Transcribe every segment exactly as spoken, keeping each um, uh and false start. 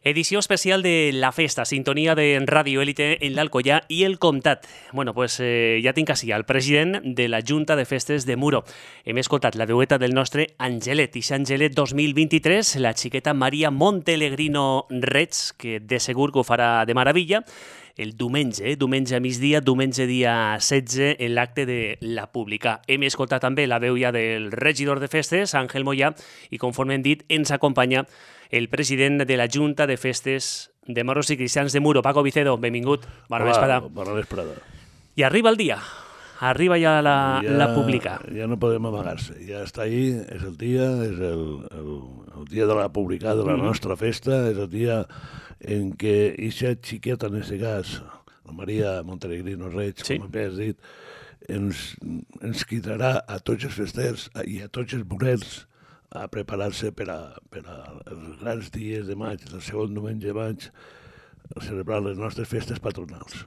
Edició especial de La Festa, sintonia de Ràdio Élite en l'Alcoià i el Comtat. Bueno, pues eh, ja tinc així el president de la Junta de Festes de Muro. Hem escoltat la veueta del nostre Angelet, i Angelet dos mil vint-i-tres, la xiqueta Maria Montelegrino Reig, que de segur que ho farà de meravella, el diumenge, eh? diumenge a migdia, diumenge dia setze, en l'acte de la Pública. Hem escoltat també la veu ja del regidor de festes, Àngel Moyà, i conforme hem dit, ens acompanya el president de la Junta de Festes de Moros i Cristians de Muro, Paco Vicedo. Benvingut. Bona vesprada. Bona vesprada. I arriba el dia. Arriba ja la, ja, la Pública. Ja no podem amagar-se. Ja està ahí, és el dia, és el, el, el dia de la Pública, de la mm. nostra festa, és el dia en què eixa xiqueta, en aquest cas, la Maria Montelegrino Reig, sí. com has dit, ens, ens quitarà a tots els festers i a tots els morers a preparar-se per, a, per a els grans dies de maig, el segon diumenge de maig, a celebrar les nostres festes patronals.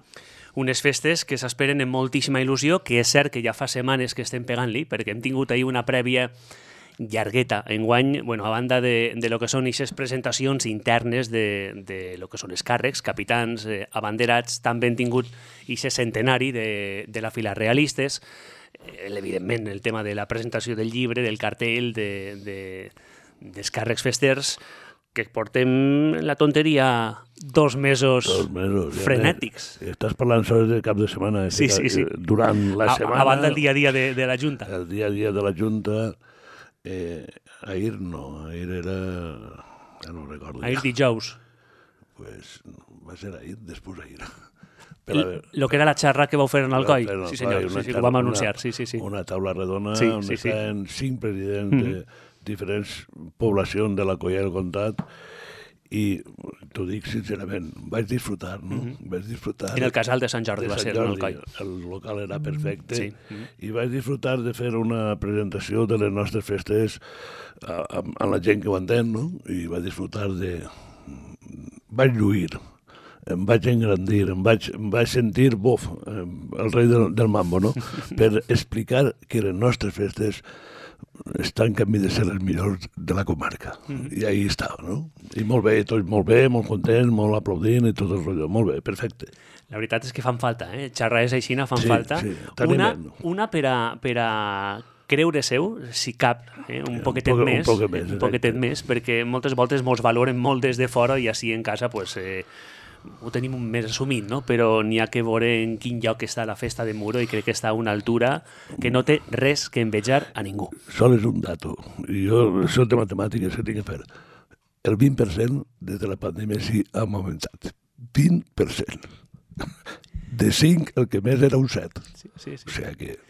Unes festes que s'esperen amb moltíssima il·lusió, que és cert que ja fa setmanes que estem pegant-li, perquè hem tingut ahir una prèvia llargueta enguany, bueno, a banda de, de lo que són aquestes presentacions internes de, de lo que són els càrrecs, capitans, eh, abanderats, també hem tingut aquest centenari de, de la fila realistes, evidentment el tema de la presentació del llibre, del cartell, de, de, dels càrrecs festers, que portem la tonteria dos mesos, dos mesos frenètics. Ja, estàs parlant sols de cap de setmana, sí, sí, sí. durant la a, setmana. A banda del dia a dia de, de la Junta. El dia a dia de la Junta, eh, ahir no, ahir era... ja no recordo. Ahir ja. Dijous. Pues va ser ahir, després ahir. El que era la xarra que vau fer en Alcoi. Sí, senyor, sí, sí, que ho vam anunciar. Sí, sí, sí. Una taula redona sí, on sí, estaven sí. cinc presidents mm-hmm. de diferents poblacions de l'Alcoià i el Comtat, i t'ho dic sincerament, vaig disfrutar, no? Mm-hmm. Vaig disfrutar... En el casal de Sant Jordi va ser, en Alcoi. El local era perfecte, sí. mm-hmm. i vaig disfrutar de fer una presentació de les nostres festes amb, amb la gent que ho entén, no? I vaig disfrutar de... Vaig lluir. Em vaig engrandir, em vaig, em vaig sentir, bof, el rei del, del mambo, no? Per explicar que les nostres festes estan en camí de ser les millors de la comarca. Mm. I ahí estava, no? I molt bé, tots molt bé, molt contents, molt aplaudint i tot el rotllo. Molt bé, perfecte. La veritat és que fan falta, eh? Xarraes aixina fan sí, falta. Sí, una, una per a... Per a... creure seu, si cap, eh? un poquetet un poc, més, un poquet més, un poquetet més, perquè moltes voltes mos valoren molt des de fora i així en casa pues, eh, ho tenim més assumit, no? Però n'hi ha que veure en quin lloc està la festa de Muro i crec que està a una altura que no té res que envejar a ningú. Sol és un dato, i jo soc de matemàtiques que tinc que fer. El vint per cent des de la pandèmia sí ha augmentat. vint per cent. De cinc, el que més era un set. Sí, sí, sí. O sigui que...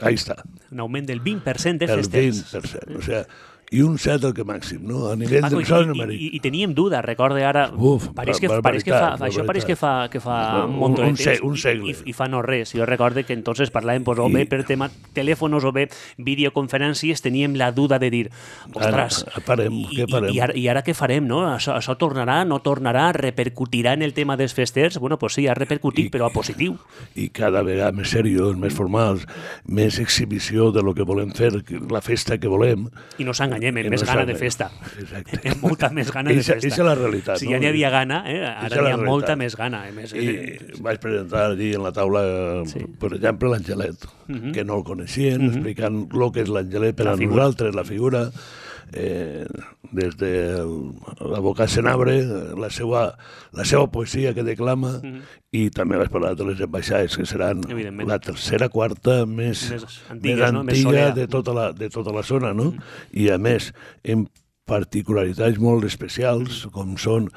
ahí està. Un augment del vint per cent de festers. El vint per cent, o sigui, i un set el que màxim, no? A nivell Paco, del sol numèric. I, i, I teníem duda, recorde ara... Uf, pareix que, pareix que fa, això pareix que fa, que fa un munt de temps un segle. I, i fa no res. Jo recorde que entonces parlàvem pues, o bé per tema telèfonos o bé videoconferències, teníem la duda de dir, ostres, ara, farem, i, què farem? I, i, ara, i ara què farem, no? Això, això tornarà, no tornarà, repercutirà en el tema dels festers? Bueno, pues sí, ha repercutit, I, però a positiu. I cada vegada més seriós, més formals, més exhibició de lo que volem fer, la festa que volem. I no s'enganyem, més no gana de festa. Exacte. Amb molta més gana de festa. Eixa és la realitat. Si ja n'hi havia gana, eh? ara n'hi ha molta més gana. Eh? Més, I eh... vaig presentar allí en la taula, sí. per exemple, l'Angelet, uh-huh. que no el coneixien, uh-huh. explicant el que és l'Angelet per la a figura. Nosaltres, la figura, eh, des de l'advocat Senabre, la seva, la seva poesia que declama, uh-huh. i també vaig parlar de les ambaixades, que seran la tercera, quarta més, més antiga, més antiga no? de, tota la, de tota la zona, no? Uh-huh. I a més, en particularitats molt especials, com són,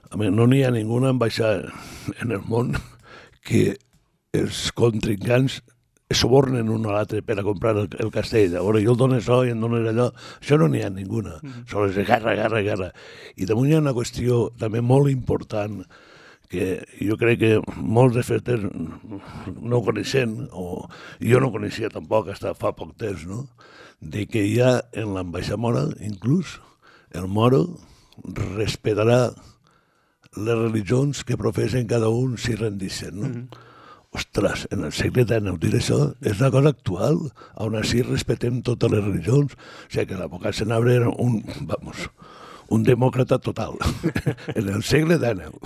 a més, no n'hi ha ninguna ambaixada en el món que els contrincants subornen un a l'altre per a comprar el, el castell. A veure, jo el dono això i em dones allò. Això no n'hi ha ninguna. Mm-hmm. Sols és guerra, guerra, guerra. I damunt hi ha una qüestió també molt important que jo crec que molts de festers no coneixen, o jo no coneixia tampoc fins fa poc temps, no? De que hi ha en l'ambaixada mora, inclús, el moro respetarà les religions que professen cada un si rendixen, no? Mm-hmm. Ostres, en el segle dinou dir això és una cosa actual, on així respetem totes les religions. O sigui que l'advocat Senabre era un, vamos, un demòcrata total, en el segle dinou.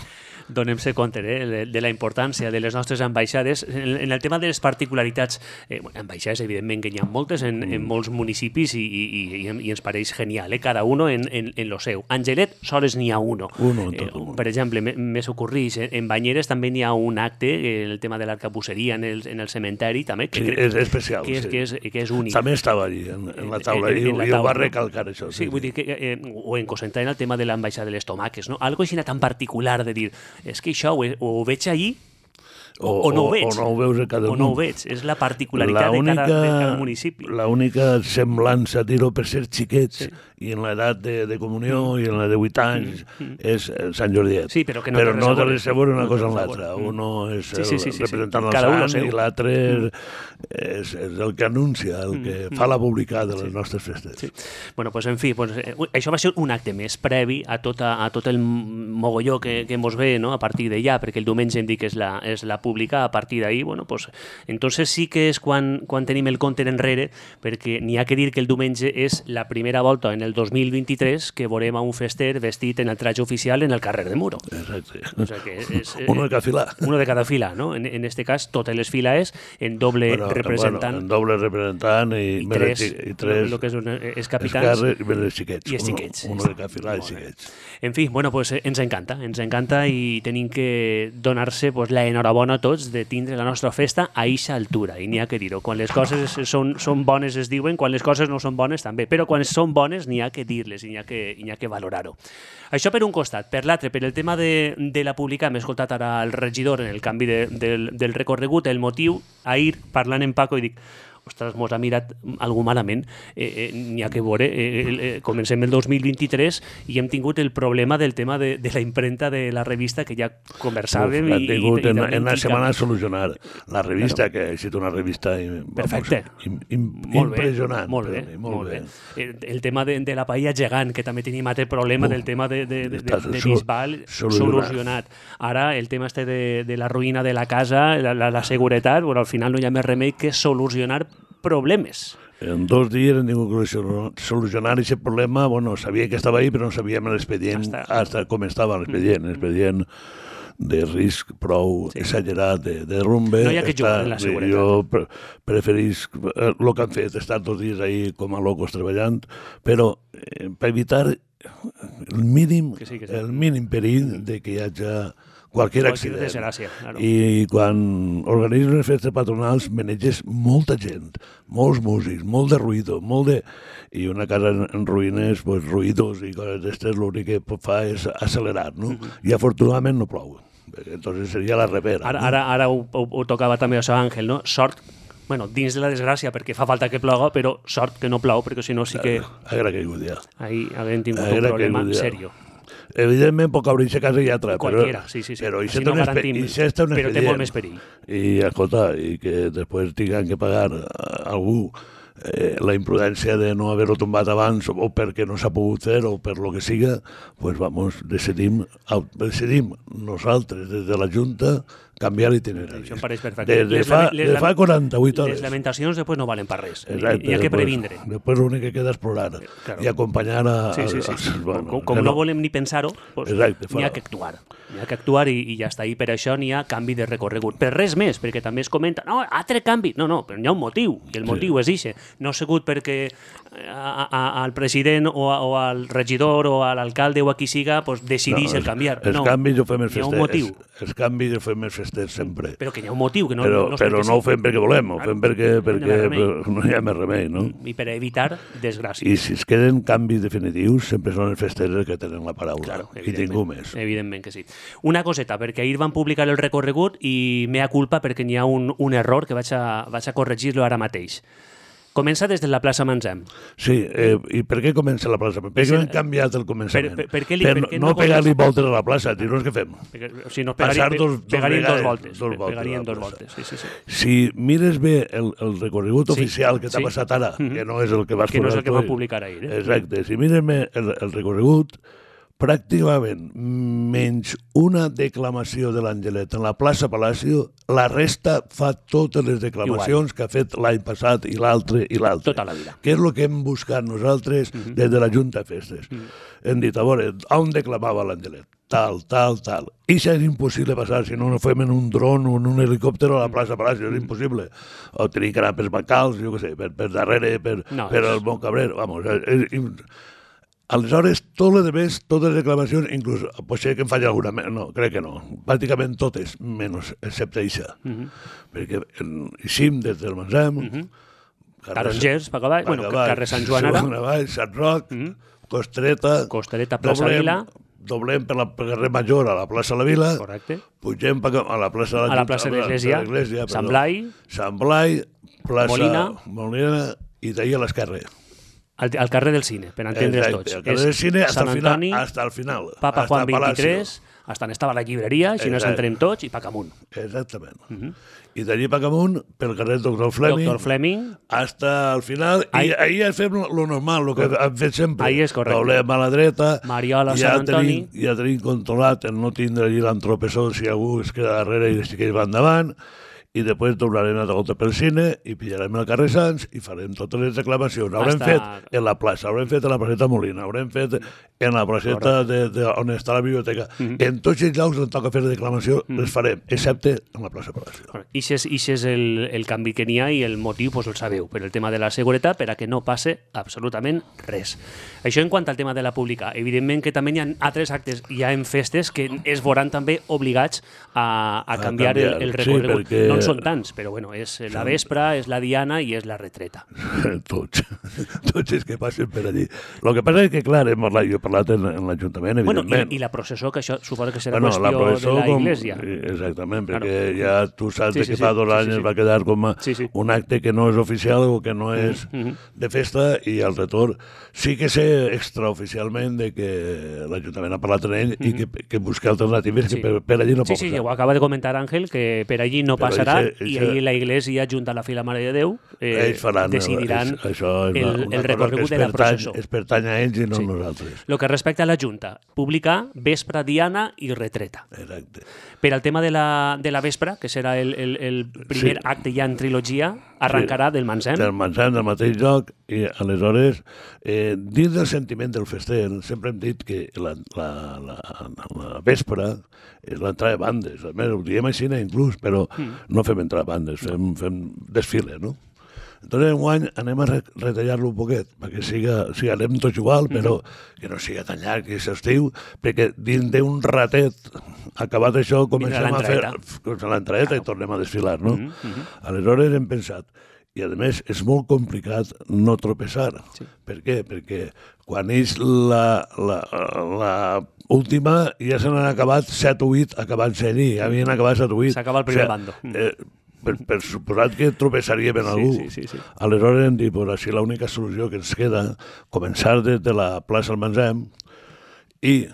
Donem-se compte eh, de la importància de les nostres ambaixades. En, en el tema de les particularitats, eh, ambaixades, evidentment que n'hi ha moltes en, en molts municipis i, i, i, i ens pareix genial, eh? Cada uno en, en, en lo seu. Angelet, sols n'hi ha uno. uno en tot eh, per exemple, me s'ocorreix, eh, en Banyeres també n'hi ha un acte, eh, el tema de l'arcabusseria en el, en el cementeri, també, que, sí, és especial. Que és, sí. que és, que és únic. També estava allí, en, en la taula, en, en, en la i, taula, i ho va recalcar, això. Sí, sí, vull dir que, eh, o en Cosentà, en el tema de l'ambaixada de les tomaques, no? Algo així tan particular de dir, és que això ho, ho veig allí o, o no ho veig. O no ho veus a cada o no ho veig. És la particularitat la única, de, cada, de cada municipi. L'única semblança, dir-ho per ser xiquets, sí. I en l'edat de, de comunió mm. i en la de vuit anys mm. és Sant Jordiet. Sí, però que no però té no té res a veure una no cosa amb l'altra. Mm. Uno és sí, sí, sí, el sí, representant sí. del sant i l'altre mm. és, és el que anuncia, el que mm. fa la publicar de les sí. nostres festes. Sí. Bueno, pues, en fi, pues, eh, això va ser un acte més previ a, tota, a tot el mogolló que, que mos ve, no? A partir d'allà, perquè el diumenge hem dit que és la, és la pública, a partir d'ahir, bueno, pues, entonces sí que és quan, quan tenim el compte enrere, perquè n'hi ha que dir que el diumenge és la primera volta en el dos mil vint-i-tres que veurem a un fester vestit en el traje oficial en el carrer de Muro. Exacte. O sea que és, eh, uno de cada fila. Uno de cada fila, no? En, en este cas, totes les files en doble bueno, representant. Bueno, en doble representant i, i tres, i tres el que és, és capitans i els xiquets. I els xiquets. Uno, uno de cada fila i xiquets. En fi, bueno, pues, ens encanta, ens encanta i tenim que donar-se pues, la enhorabona a tots de tindre la nostra festa a eixa altura, i n'hi ha que dir-ho. Quan les coses són, són bones es diuen, quan les coses no són bones també, però quan són bones n'hi ha que dir-les, n'hi ha que, n'hi ha que valorar-ho. Això per un costat. Per l'altre, per el tema de, de la pública, hem escoltat ara el regidor en el canvi de, del, del recorregut, el motiu, ahir parlant en Paco i dic, ostres, mos ha mirat algú malament, eh, eh, n'hi ha que veure, eh, eh, comencem el dos mil vint-i-tres i hem tingut el problema del tema de, de la impremta de la revista que ja conversàvem. Uf, i, ha tingut i, i en, en una indica... setmana a solucionar la revista, claro. Que ha estat una revista perfecte. Vamos, im, im, impressionant. Molt bé, mi, molt, molt bé. bé. El, el tema de, de la paella gegant, que també tenim altre problema Uf, del tema de, de, de, de, de Bisbal, solucionat. solucionat. Ara, el tema este de, de la ruïna de la casa, la, la, la seguretat, bueno, al final no hi ha més remei que solucionar problemes. En dos dies hem tingut que solucionar aquest problema. Bueno, sabia que estava ahí, però no sabíem l'expedient, hasta... hasta com estava l'expedient. L'expedient de risc prou sí. exagerat, de, de rumbe. No hi ha que jugar en la seguretat. Jo pre preferís el que han fet, estar dos dies ahí com a locos treballant, però eh, per evitar el mínim, que sí, que sí. el mínim perill de que hi hagi qualsevol accident. Desgràcia, claro. I quan organitzes unes festes patronals maneges molta gent, molts músics, molt de ruïdo, molt de... I una casa en, en ruïnes, pues, ruïdos i coses d'estes, l'únic que fa és accelerar, no? Uh -huh. I afortunadament no plou. Entonces seria la repera. Ara, no? ara, ara ho, ho, ho tocava també això, Àngel, no? Sort, bueno, dins de la desgràcia, perquè fa falta que ploga, però sort que no plou, perquè si no sí que... Haguera caigut ja. Ahir haguem tingut un problema serio. Evidentment pot caure aquesta casa i altra, qualquiera, però, sí, sí, sí. però si no garantim, i si està un però té molt més perill. I, escolta, i que després tinguin que pagar a algú eh, la imprudència de no haver-ho tombat abans o perquè no s'ha pogut fer o per lo que siga, pues vamos, decidim, decidim nosaltres des de la Junta canviar l'itinerari. Això em pareix perfecte. De, de, fa, de fa quaranta-vuit hores. Les lamentacions després no valen per res. Exacte, hi ha que previndre. Després l'únic que queda és plorar claro. I acompanyar a... Sí, sí, sí. A, a, bueno, com com no, no volem ni pensar-ho, pues, n'hi ha que actuar. N'hi ha que actuar i, i ja està. I per això n'hi ha canvi de recorregut. Per res més, perquè també es comenta, no, altre canvi. No, no, però n'hi ha un motiu, i el motiu sí. és ixe. No ha sigut perquè a, a, al president o, a, o al regidor o a l'alcalde o a qui siga pues, decidís no, el canviar. Els no, canvis ho fem els festers. Hi ha un motiu. Els, els canvis ho fem els festers sempre. Però que hi ha un motiu, que no, però, no però no ho fem perquè volem, ho fem perquè, perquè no hi ha més remei, no? I per evitar desgràcies. I si es queden canvis definitius, sempre són els festers que tenen la paraula. Claro, i ningú més. Evidentment que sí. Una coseta, perquè ahir van publicar el recorregut i mea culpa perquè n'hi ha un, un error que vaig a, vaig a corregir-lo ara mateix. Comença des de la plaça Manzem. Sí, eh, i per què comença la plaça? Per què han canviat el començament? Per, per, per, què li, per, per què no, no pegar-li voltes a la plaça, dir-nos què fem? Perquè, si no, pegarien dos, dos, pegarien dos voltes. Dos voltes pegarien dos voltes, sí, sí, sí. Si mires bé el, el recorregut sí, oficial que t'ha sí. passat ara, mm -hmm. que no és el que vas que no és el que van publicar ahir. Eh? Exacte, si mires bé el, el recorregut, pràcticament menys una declamació de l'Angelet en la plaça Palacio, la resta fa totes les declamacions Igual. que ha fet l'any passat i l'altre i l'altre. Tota la vida. Que és el que hem buscat nosaltres mm-hmm. des de la Junta de Festes. Mm-hmm. Hem dit, a veure, on declamava l'Angelet? Tal, tal, tal. I això és impossible passar, si no no fem en un dron o en un helicòpter a la plaça Palacio, és impossible. O tenir que anar per Bacals, jo què sé, per, per darrere, per, no, per és... el Bon Cabrer, vamos, és... és aleshores, tot el demés, totes les reclamacions, inclús, potser que em falli alguna, no, crec que no, pràcticament totes, menys, excepte això. Mm-hmm. Perquè eixim des del Mansem, mm-hmm. Tarongers, per avall, bueno, carrer Sant Joan ara, avall, Sant Roc, mm-hmm. Costereta, Costereta, plaça doblem, Vila, doblem per la carrer Major a la plaça La Vila, correcte. Pugem a la plaça de la, a la plaça de l'Església, Sant Blai, Sant Blai, plaça Molina, Molina i d'ahir a l'esquerra. Al, al carrer del Cine, per entendre's tots. El carrer del Cine hasta el final. Hasta el final. Papa Juan veintitrés, hasta on estava la llibreria, així nos entrem tots, i pa camunt. Exactament. Uh-huh. I d'allí pa camunt, pel carrer Doctor Fleming, Doctor Fleming, hasta el final, ahí, i ahir fem lo normal, lo que hem fet sempre. Ahí és correcte. Doblem a la dreta, Mariola, ja Sant Antoni. Tenim, ja tenim controlat el no tindre allí l'entropessó si algú es queda darrere i si que va endavant, i després doblarem la volta pel Cine i pillarem el carrer Sants i farem totes les reclamacions. Haurem Hasta... fet en la plaça, haurem fet en la placeta Molina, haurem fet en la placeta de, de, on està la biblioteca. Mm-hmm. En tots els llocs on toca fer la declamació mm-hmm. les farem, excepte en la plaça Palacio. I això és, és el, el canvi que n'hi ha i el motiu pues, el sabeu, per el tema de la seguretat, per a que no passe absolutament res. Això en quant al tema de la pública. Evidentment que també hi ha altres actes ja en festes que es veuran també obligats a, a, canviar, a canviar el, el recorregut. Sí, perquè... No són tants, però bueno, és la vespra, és la diana i és la retreta. Tots, tots els que passen per allí. El que passa és que, clar, hem parlat, jo he parlat en, en l'Ajuntament, bueno, evidentment. I, I la processó, que això suposa que serà bueno, qüestió la processó, de la com, Iglesia. Exactament, claro. perquè ja tu saps sí, sí, que fa dos sí, anys sí, sí. va quedar com a sí, sí. un acte que no és oficial o que no és mm-hmm. de festa, i al retorn sí que sé extraoficialment de que l'Ajuntament ha parlat amb ell mm-hmm. i que, que busca alternatives sí. que per, per allí no pot sí, sí, passar. Sí, ho acaba de comentar Àngel, que per allí no però passarà eixe, eixe... i ahir la Iglesia, junt a la Fila Mare de Déu, eh, faran, decidiran és, això és el, una, una el recorregut de la processó. Es pertany a ells i no sí. a nosaltres. El que respecta a la Junta, publicar vespre, diana i retreta. Exacte. Per al tema de la, de la vespra, que serà el, el, el primer sí. acte ja en trilogia, arrencarà sí. del Mansem. Del Mansem, del mateix lloc, i aleshores, eh, dins del sentiment del fester, sempre hem dit que la, la, la, la vespra és l'entrada de bandes. A més, ho diem així inclús, però mm. no fem entrar bandes, fem, fem desfile, no? Entonces, enguany anem a retallar-lo un poquet, perquè siga, sí, anem tots igual, però mm-hmm. que no siga tan llarg, que s'estiu, perquè dins d'un ratet, acabat això, comencem a fer l'entrada i tornem a desfilar, no? Mm-hmm. Aleshores hem pensat, i a més és molt complicat no tropeçar. Sí. Per què? Perquè quan és la, la, la última ja se n'han acabat set o vuit acabant-se allí, ja havien acabat set o vuit. S'acaba el primer o sigui, bando. Eh, Per, per suposat que tropeçaríem en algú. Sí, sí, sí, sí. Aleshores hem dit, pues, així l'única solució que ens queda, començar des de la plaça del Mansem i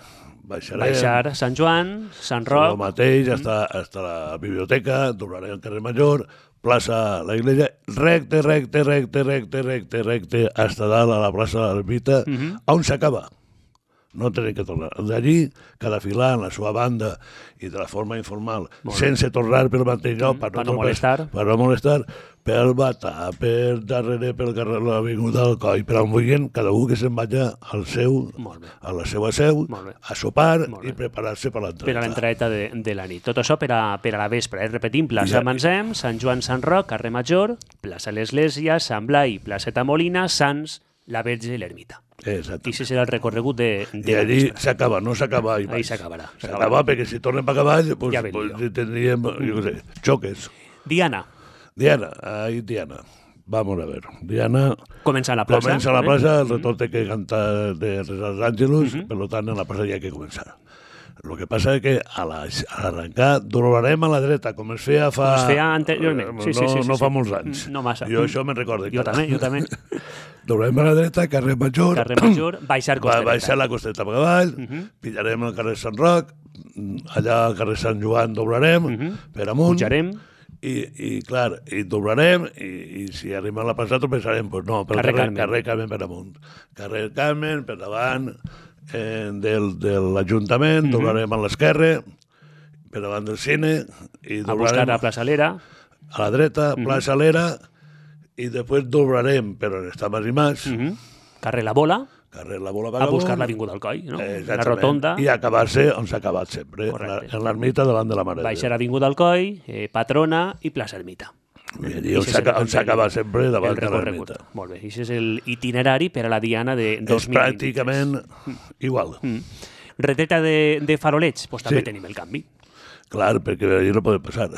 baixarem... Baixar Sant Joan, Sant Roc... El mateix, mm. hasta, hasta la biblioteca, doblarem el carrer Major, plaça la Iglesia, recte, recte, recte, recte, recte, recte, hasta dalt a la plaça de l'Ermita, mm-hmm. on s'acaba. No tenim que tornar. D'allí, cada filar en la seva banda i de la forma informal, sense tornar pel mateix lloc, per, per no, no molestar, per no molestar, pel Batà, per darrere, pel carrer de l'Avinguda del Coll, per on vulguin, cada un que se'n vagi al seu, a la seva seu, a sopar i preparar-se per l'entrada. Per a l'entrada de, de la nit. Tot això per a, per a la vespre. Eh? Repetim, plaça ja, Mansem, Sant Joan, Sant Roc, carrer Major, plaça l'Església, Sant Blai, placeta Molina, Sants, la Verge i l'Ermita. Exacte. I si serà el recorregut de, de I allí s'acaba, no s'acaba ahí Ahí s'acabarà. S'acaba perquè si tornem per cavall, pues, ja pues, tindríem, jo què sé, xoques. Diana. Diana, ahí Diana. Vamos a ver. Diana... Comença a la plaça. Comença a la plaça, el retorn té que cantar de Resals Àngelus, uh-huh. per tant, a la plaça hi ha que començar. El que passa és que a l'arrencar doblarem a la dreta, com es feia fa... Com es feia anteriorment. Sí, no, sí, sí, no sí, fa sí. molts anys. No massa. Jo això me'n recordo. Jo també, jo també. Doblarem a la dreta, carrer Major. Carrer Major, baixar Costereta. Baixar la Costereta per avall, uh-huh. pillarem el carrer Sant Roc, allà al carrer Sant Joan doblarem, uh-huh. per amunt. Pujarem. I, i clar, i doblarem, i, i si arribem a la plaça tropeçarem, doncs no, pel carrer, carrer, Carmen. carrer Carmen per amunt. Carrer Carmen, per davant... eh, del, de l'Ajuntament, mm -hmm. doblarem a l'esquerra, per davant del cine, i a buscar a Plaça Lera. A la dreta, Plaça mm -hmm. Lera, i després doblarem, però on està Mas i Mas. Mm -hmm. Carrer La Bola. Carrer La Bola, a buscar l'Avinguda Alcoi, no? Eh, la rotonda. I acabar-se on s'ha acabat sempre, Correcte. en l'ermita davant de la Mare de Déu. Baixar Avinguda Alcoi, eh, Patrona i Plaça Ermita. I on s'acaba sempre davant de l'ermita. Molt bé, això és l'itinerari per a la Diana de dos mil vint-i-tres. És pràcticament igual. Mm. Retreta de, de farolets, doncs també sí. tenim el canvi. Clar, perquè allà no pot passar.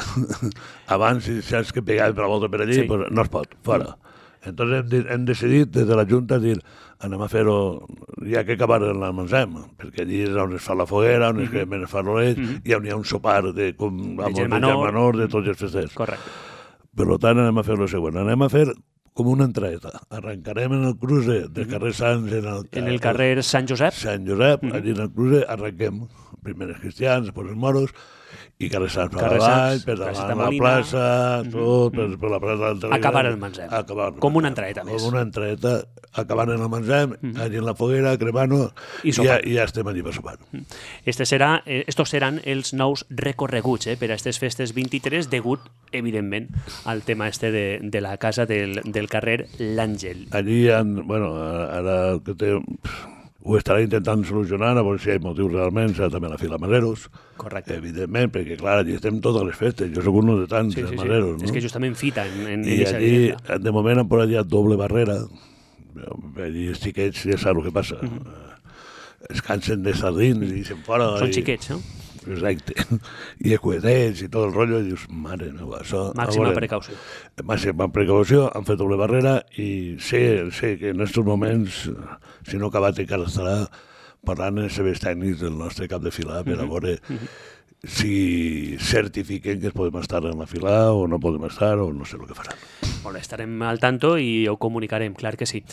Abans, si saps que pegaven per la volta per allí, sí. pues no es pot, fora. Mm. Entonces hem, hem decidit des de la Junta dir anem a fer-ho, ja que acabar en l'Almansem, perquè allí és on es fa la foguera, on es cremen mm -hmm. els farolets, mm -hmm. i on hi ha un sopar de, com, de germanor, de tots els festers. Correcte. Per tant, anem a fer el següent. Anem a fer com una entrada. Arrencarem en el cruce del carrer Sants, en el, en el carrer Sant Josep. Sant Josep, mm -hmm. allí en el cruce arrenquem. Primer els cristians, després els moros, i carrer Sants per avall, per davant la plaça, tot, per, per la plaça del Telegre. Acabar el Mansem. Com una entrada més. Com una entrada, acabant en el Mansem, mm-hmm. allí en la foguera, cremant-ho, i, i, ja, i ja estem allí per sopar. Este serà, eh, estos seran els nous recorreguts eh, per a aquestes festes vint-i-tres, degut, evidentment, al tema este de, de la casa del, del carrer L'Àngel. Allí hi ha, bueno, ara que té... Ho estarà intentant solucionar, a veure si hi ha motius realment, serà també la fila Mareros. Correcte. Evidentment, perquè, clar, allí estem totes les festes. Jo soc un de tants sí, sí, Mareros, sí. no? És que justament fita en, en I allí, de moment, han posat ja doble barrera. Allí els xiquets ja saps el que passa. Mm -hmm. Es cansen de sardins i se'n fora. Són i... xiquets, no? Exacte. I els coetets i tot el rotllo, i dius, mare meva, això... Màxima precaució. Màxima precaució, han fet doble barrera, i sé, sé que en aquests moments, si no acabat encara estarà parlant amb els serveis tècnics del nostre cap de fila per a veure mm -hmm. si certifiquen que es podem estar en la fila o no podem estar, o no sé el que faran. Molt bé, estarem al tanto i ho comunicarem, clar que sí.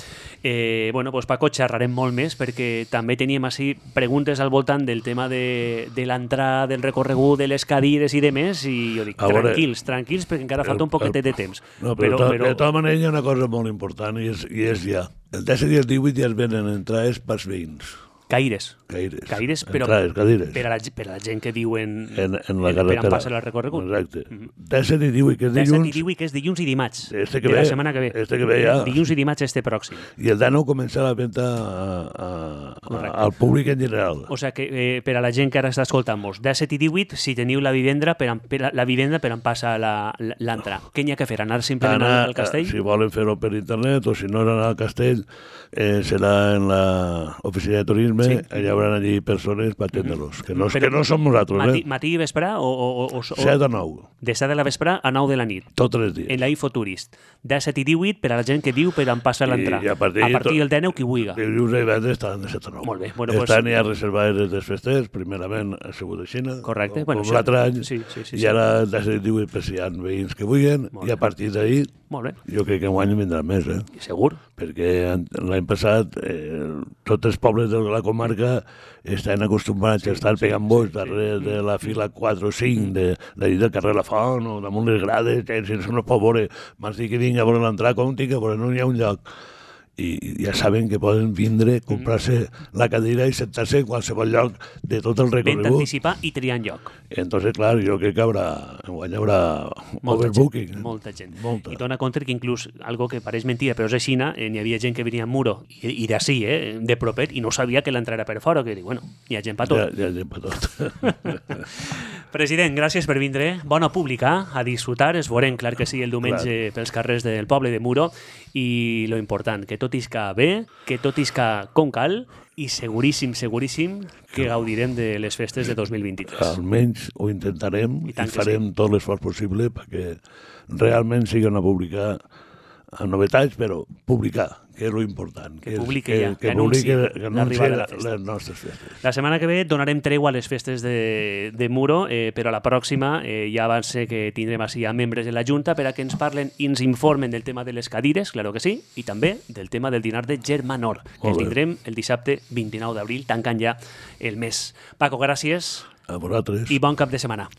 Eh, bueno, doncs Paco, xerrarem molt més perquè també teníem així preguntes al voltant del tema de, de l'entrada, del recorregut, de les cadires i demés, i jo dic, veure, tranquils, tranquils, perquè encara falta un poquetet de temps. No, però, però, però... de tota manera hi ha una cosa molt important, i és, i és ja. El disset i el divuit ja es venen entrades pels veïns. Caires. Caires. Caires, però Entrades, cadires. Per, a la, per a la gent que diuen en, en la carretera. Per on passa el recorregut. Exacte. Mm-hmm. disset i divuit, que és dilluns. disset i divuit, que és dilluns i dimarts. Este que de ve, la setmana que ve. Este que ve ja. Dilluns i dimarts este pròxim. I el dinou comença la venda a, a, a, al públic en general. O sigui que eh, per a la gent que ara està escoltant-nos, disset i divuit, si teniu la vivenda per, per, la vivenda per on passa l'entrada. Què n'hi ha que fer? Anar simplement anar, al castell? Si volen fer-ho per internet, o si no anar al castell, eh, serà en l'oficina de turisme, sí. Allà haurà allí persones per atendre-los, que, no, que no som nosaltres. Matí, eh? matí i vespre? O, o, o, o, set a nou. De set de la vespre a nou de la nit. Tots els dies. En la Infoturist. disset i divuit per a la gent que diu per on passa l'entrada. A partir, a partir del dinou, qui vulgui. Dilluns i divendres estan de set a nou. Molt bé. Bueno, estan pues... ja reservades des festers, primerament a Segur de Xina, correcte. Com, bueno, com l'altre any, sí, sí, sí, i sí. ara disset i divuit per si hi ha veïns que vulguin, i a partir d'ahir, jo crec que enguany vindran més, eh? Segur. Perquè l'any passat eh, tots els pobles de la comarca estan acostumbrats sí, a estar pegant sí, boix sí, darrere sí. de la fila quatre o cinc de, de, del carrer La Font o damunt les grades, que si no es pot veure, m'has dit que vinga a veure l'entrada, com tinc que veure, no hi ha un lloc. I ja saben que poden vindre, comprar-se la cadira i sentar-se en qualsevol lloc de tot el recorregut. Vent anticipar i triar en lloc. Entonces, clar, jo crec que haurà, hi haurà molta overbooking. Gent, molta gent. Molta. I dona compte que inclús, algo que pareix mentida, però és així, eh, n'hi havia gent que venia a Muro, i, i d'ací, eh, de propet, i no sabia que l'entrada era per fora, que dic, bueno, hi ha gent per tot. Hi ha, hi ha gent per tot. President, gràcies per vindre. Bona pública, a disfrutar. Es veurem, clar que sí, el diumenge clar. Pels carrers del poble de Muro, i lo important, que tot isca bé, que tot isca com cal, i seguríssim, seguríssim que gaudirem de les festes de dos mil vint-i-tres. Almenys ho intentarem i, i farem sí. tot l'esforç possible perquè realment sigui una pública amb novetats, però publicar, que és l'important. Que, que publiqui ja, que, que, que anunci l'arribada de la festa. Les nostres festes. La setmana que ve donarem tregua a les festes de, de Muro, eh, però a la pròxima eh, ja va ser que tindrem així a membres de la Junta per a que ens parlen i ens informen del tema de les cadires, claro que sí, i també del tema del dinar de Germanor, que el tindrem el dissabte vint-i-nou d'abril, tancant ja el mes. Paco, gràcies. A vosaltres. I bon cap de setmana.